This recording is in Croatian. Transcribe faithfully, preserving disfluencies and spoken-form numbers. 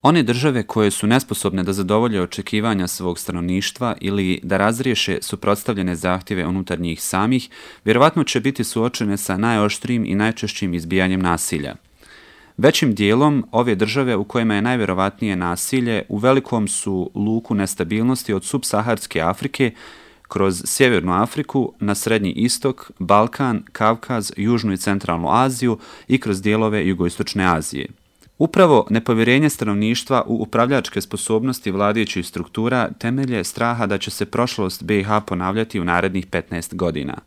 One države koje su nesposobne da zadovolje očekivanja svog stanovništva ili da razriješe suprotstavljene zahtjeve unutar njih samih, vjerovatno će biti suočene sa najoštrijim i najčešćim izbijanjem nasilja. Većim dijelom, ove države u kojima je najvjerovatnije nasilje u velikom su luku nestabilnosti od subsaharske Afrike kroz Sjevernu Afriku na Srednji istok, Balkan, Kavkaz, Južnu i Centralnu Aziju i kroz dijelove Jugoistočne Azije. Upravo nepovjerenje stanovništva u upravljačke sposobnosti vladajućih struktura temelje straha da će se prošlost B i H ponavljati u narednih petnaest godina.